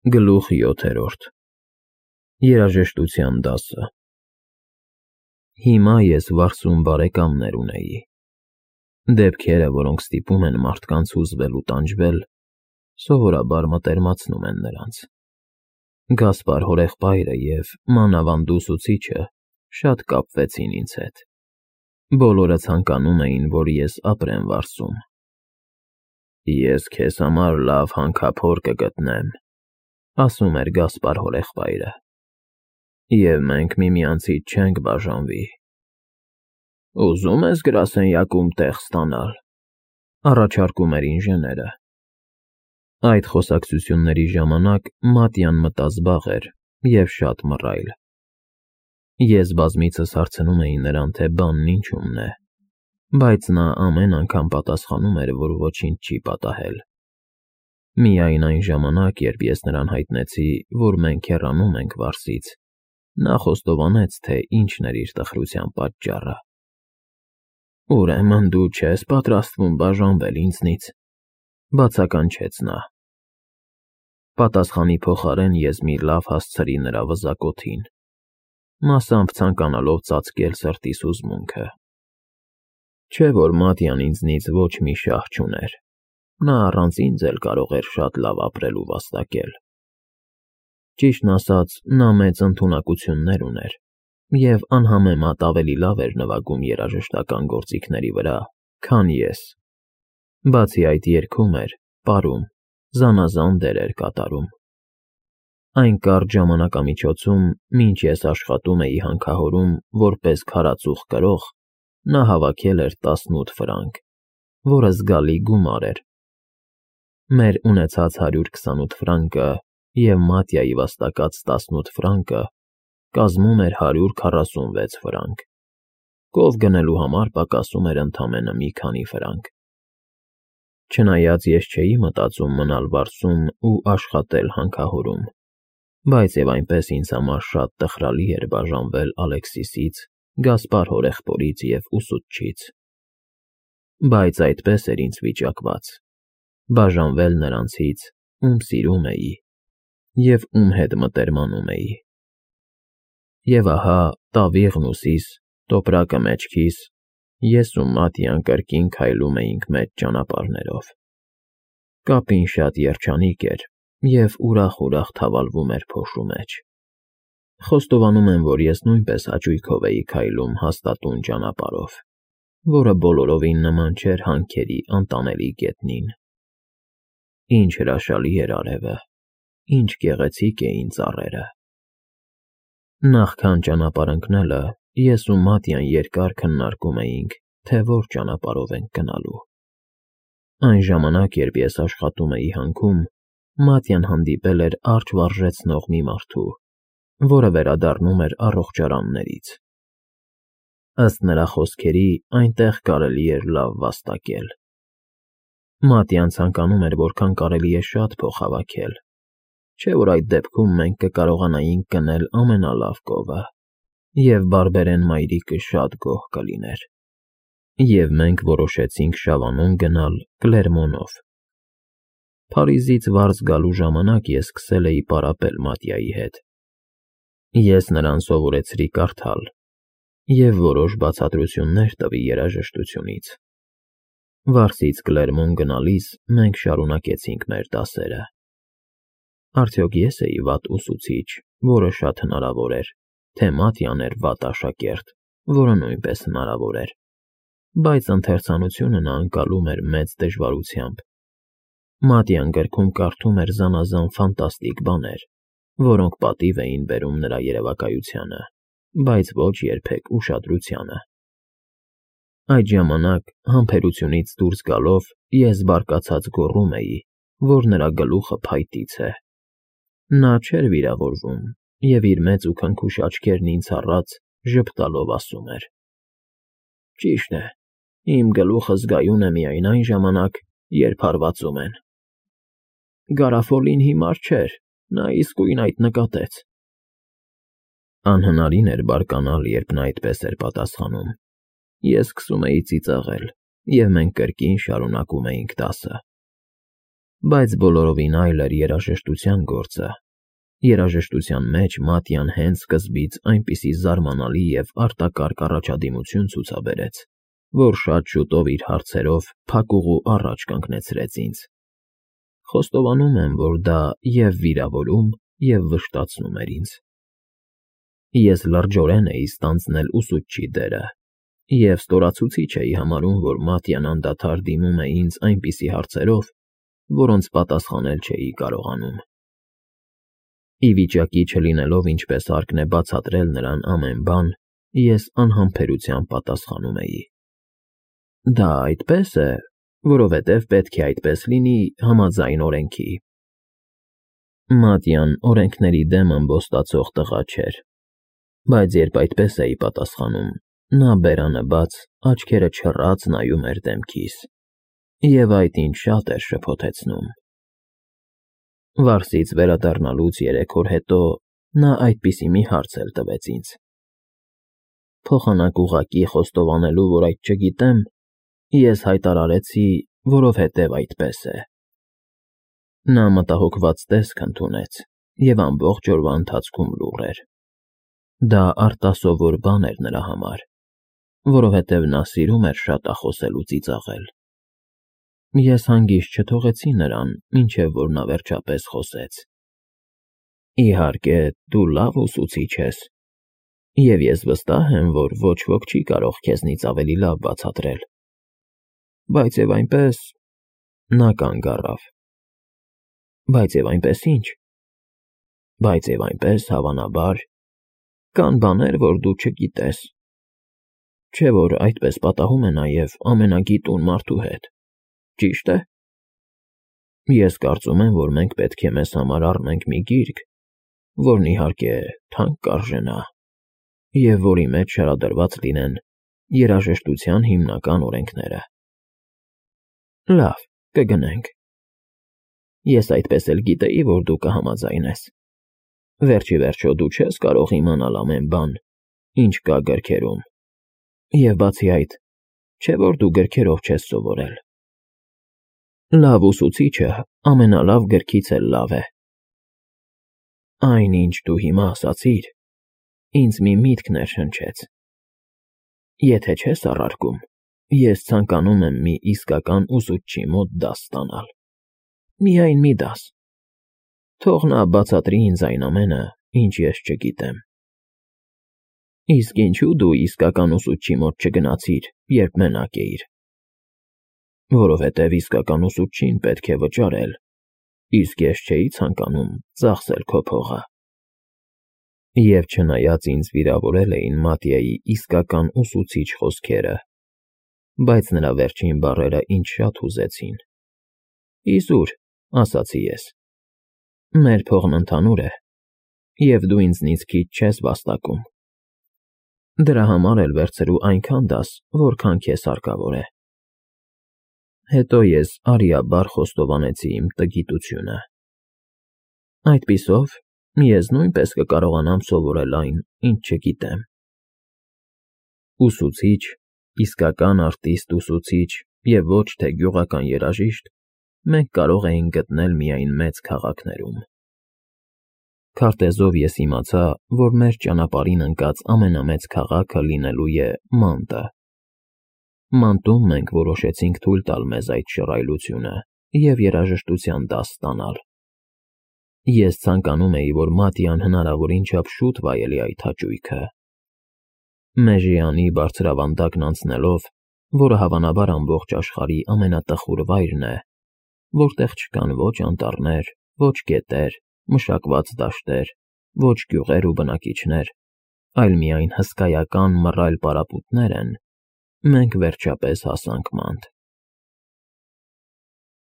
Գլուխ 7. Երաժշտության դասը։ Հիմա ես վարսուն բարեկամներ ունեի։ Դեպքերը, որոնք ստիպում են մարդկանց հուզվել ու տանջվել, սովորաբար մտերմացնում են նրանց։ Գասպար հորեղբայրը և մանավանդ ուսուցիչը շատ կապվեցին ինձ հետ։ Բոլորը ցանկանում էին, որ ես ապրեմ վարսում։ Ես քեզ համար լավ հանքափոր կգտնեմ, ասում էր Գասպար հորեղբայրը, և մենք միմյանցից չենք բաժանվի։ Ուզում ես գրասենյակում տեղ ստանալ, առաջարկում էր ինժեները։ Այդ խոսակցությունների ժամանակ Մատյան մտազբաղ էր և շատ մռայլ։ Ես բազմիցս հարցնում էի նրան, թե բանն ինչումն է, բայց նա ամեն անգամ պատասխանում էր, որ ոչինչ չի պատահել։ Միայն այն ժամանակ, երբ ես նրան հայտնեցի, որ մենք հեռանում ենք Վարսից, նա խոստովանեց, թե ինչն էր իր տխրության պատճառը։ Ուրեմն դու չես պատրաստվում բաժանվել ինձնից, բացականչեց նա։ Պատասխանի փոխարեն ես մի լավ հասցրի նրա վզակոթին, մասամբ ցանկանալով ծածկել սրտիս հուզմունքը։ Չէ՞ որ Մատյան ինձնից ոչ մի շահ չուներ, նա առանց ինձ էլ կարող էր շատ լավ ապրել ու վաստակել։ Ճիշտն ասած, նա մեծ ընդունակություններ ուներ և անհամեմատ ավելի լավ էր նվագում երաժշտական գործիքների վրա, քան ես։ Բացի այդ երգում էր, պարում, զանազան դերեր կատարում։ Այն կարճ ժամանակամիջոցում, մինչ ես աշխատում էի հանքահորում որպես քարածուխ կրող, նա հավաքել էր 18 ֆրանկ, որը զգալի գումար էր։ Մեր ունեցած 128 ֆրանկը և Մատյայի վաստակած 18 ֆրանկը կազմում էր 146 ֆրանկ։ Կով գնելու համար պակասում էր ընդամենը մի քանի ֆրանկ։ Չնայած ես չէի մտածում մնալ Վարսում ու աշխատել հանքահորում, բայց և այնպես ինձ համար շատ տխրալի էր բաժանվել Ալեքսիսից, Գասպար հորեղբորից և ուսուցչից։ Բայց այդպես էր ինձ վիճակված՝ բաժանվել նրանցից, ում սիրում էի և ում հետ մտերմանում էի։ Եվ ահա տավիղն ուսիս, տոպրակը մեջքիս, ես ու Մատյան կրկին քայլում էինք մեծ ճանապարհներով։ Կապին շատ երջանիկ էր և ուրախ-ուրախ թավալվում էր փոշու մեջ։ Խոստովանում եմ, որ ես նույնպես հաճույքով էի քայլում հաստատուն ճանապարհով, որը բոլորովին նման չէր հանքերի անտանելի գետնին։ Ինչ հրաշալի էր արևը, ինչ գեղեցիկ էին ծառերը։ Նախքան ճանապարհ ընկնելը ես ու Մատյան երկար քննարկում էինք, թե որ ճանապարհով ենք գնալու։ Այն ժամանակ, երբ ես աշխատում էի հանքում, Մատյան հանդիպել էր արջ վարժեցնող մի մարդու, որը վերադառնում էր առողջարաններից։ Ըստ նրա խոսքերի, այնտեղ կարելի էր լավ վաստակել։ Մատյան ցանկանում էր որքան կարելի է շատ փող հավաքել, չէ՞ որ այդ դեպքում մենք կկարողանայինք գնել ամենալավ կովը, և բարբերեն մայրիկը շատ գոհ կլիներ։ Եվ մենք որոշեցինք Շավանուն գնալ Կլերմոնով։ Փարիզից Վարս գալու ժամանակ ես սկսել էի պարապել Մատյայի հետ։ Ես նրան սովորեցրի կարդալ և որոշ բացատրություններ տվի երաժշտությունից։ Վարսից Կլերմոն գնալիս մենք շարունակեցինք մեր դասերը։ Արդյոք ես էի վատ ուսուցիչ, որը շատ հնարավոր էր, թե Մատյան էր վատ աշակերտ, որը նույնպես հնարավոր էր, բայց ընթերցանությունը նա ընկալում էր մեծ դժվարությամբ։ Մատյան գրքում կարդում էր զանազան ֆանտաստիկ բաներ, որոնք պատիվ էին բերում նրա երևակայությանը, բայց ոչ երբեք ուշադրությանը։ Այդ ժամանակ, համբերությունից դուրս գալով, ես բարկացած գոռում էի, որ նրա գլուխը փայտից է։ Նա չէր վիրավորվում և իր մեծ ու քնքուշ աչքերն ինձ առած ժպտալով ասում էր. Ճիշտ է, իմ գլուխը զգայուն է միայն այն ժամանակ, երբ հարվածում են։ Գարաֆոլին հիմար չէր, նա իսկույն այդ նկատեց։ Անհնարին էր բարկանալ, երբ նա այդպես էր պատասխանում։ Ես սկսում էի ծիծաղել, և մենք կրկին շարունակում էինք դասը։ Բայց բոլորովին այլ էր երաժշտության գործը։ Երաժշտության մեջ Մատյան հենց սկզբից այնպիսի զարմանալի և արտակարգ առաջադիմություն ցուցաբերեց, որ շատ շուտով իր հարցերով փակուղու առաջ կանգնեցրեց ինձ։ Խոստովանում եմ, որ դա և վիրավորում, և վշտացնում էր ինձ։ Ես լրջորեն էի ստանձնել ուսուցչի դերը և ստորացուցիչ էի համարում, որ Մատյան անդադար դիմում է ինձ այնպիսի հարցերով, որոնց պատասխանել չէի կարողանում։ Ի վիճակի չլինելով ինչպես հարկն է բացատրել նրան ամեն բան, ես անհամբերությամբ պատասխանում էի. Դա այդպես է, որովհետև պետք է այդպես լինի համաձայն օրենքի։ Մատյան օրենքների դեմ ամբոստացող տղա չէր, բայց երբ այդպես էի պատասխանում, նա բերանը բաց, աչքերը չռած նայում էր դեմքիս, և այդ ինձ շատ էր շփոթեցնում։ Վարսից վերադառնալուց 3 օր հետո նա այդպիսի մի հարց էլ տվեց ինձ։ Փոխանակ ուղղակի խոստովանելու, որ այդ չգիտեմ, ես հայտարարեցի, որովհետև այդպես է։ Նա մտահոգված տեսք ընդունեց և ամբողջ օրվա ընթացքում լուռ էր։ Դա արտասովոր բան էր նրա համար, որովհետև նա սիրում էր շատախոսել ու ծիծաղել։ Ես հանգիստ չթողեցի նրան, մինչև որ նա վերջապես խոսեց. Իհարկե, դու լավ ուսուցիչ ես, և ես վստահ եմ, որ ոչ ոք չի կարող քեզնից ավելի լավ բացատրել։ Բայց և այնպես… Նա կանգ առավ։ Բայց և այնպես ի՞նչ։ Բայց և այնպես, հավանաբար, կան բաներ, որ դու չգիտես։ Չէ՞ որ այդպես պատահում է նաև ամենագիտուն մարդու հետ, ճի՞շտ է։ Ես կարծում եմ, որ մենք պետք է մեզ համար առնենք մի գիրք, որն, իհարկե, թանկ կարժենա, և որի մեջ շարադրված լինեն երաժշտության հիմնական օրենքները։ Լավ, կգնենք։ Ես այդպես էլ գիտեի, որ դու կհամաձայնես։ Վերջ ի վերջո դու չես կարող իմանալ ամեն բան, ինչ կա գրքերում, և բացի այդ, չէ՞ որ դու գրքերով չես սովորել։ Լավ ուսուցիչը ամենալավ գրքից էլ լավ է։ Այն, ինչ դու հիմա ասացիր, ինձ մի միտք ներշնչեց։ Եթե չես առարկում, ես ցանկանում եմ մի իսկական ուսուցչի մոտ դաս ստանալ։ Միայն մի դաս։ Թող նա բացատրի ինձ այն ամենը, ինչ ես չգիտեմ։ Իսկ ինչու դու իսկական ուսուցչի մոտ չգնացիր, երբ մենակ էիր։ Որովհետև իսկական ուսուցչին պետք է վճարել, իսկ ես չէի ցանկանում ծախսել քո փողը։ Եվ չնայած ինձ վիրավորել էին Մատյայի իսկական ուսուցիչ խոսքերը, բայց նրա վերջին բառերը ինձ շատ հուզեցին։ Իզուր, ասացի ես, մեր փողն ընդհանուր է, և դու ինձնից քիչ չես վաստակում։ Դրա համար էլ վերցրու այնքան դաս, որքան քեզ հարկավոր է։ Հետո ես արիաբար խոստովանեցի իմ տգիտությունը։ Այդպիսով, ես նույնպես կկարողանամ սովորել այն, ինչ չգիտեմ։ Ուսուցիչ, իսկական արտիստ ուսուցիչ և ոչ թե գյուղական երաժիշտ մենք կարող էինք գտնել միայն մեծ քաղաքներում։ Քարտեզով ես իմացա, որ մեր ճանապարհին ընկած ամենամեծ քաղաքը լինելու է Մանտը։ Մանտում մենք որոշեցինք թույլ տալ մեզ այդ շռայլությունը և երաժշտության դաս ստանալ։ Ես ցանկանում էի, որ Մատյան հնարավորին չափ շուտ վայելի այդ հաճույքը։ Մեժիանի բարձրավանդակն անցնելով, որը հավանաբար ամբողջ աշխարհի ամենատխուր վայրն է, որտեղ չկան ոչ անտառներ, ոչ գետեր, մշակված դաշտեր, ոչ գյուղեր ու բնակիչներ, այլ միայն հսկայական մռայլ պարապմունքներ են, մենք վերջապես հասանք Մանտ։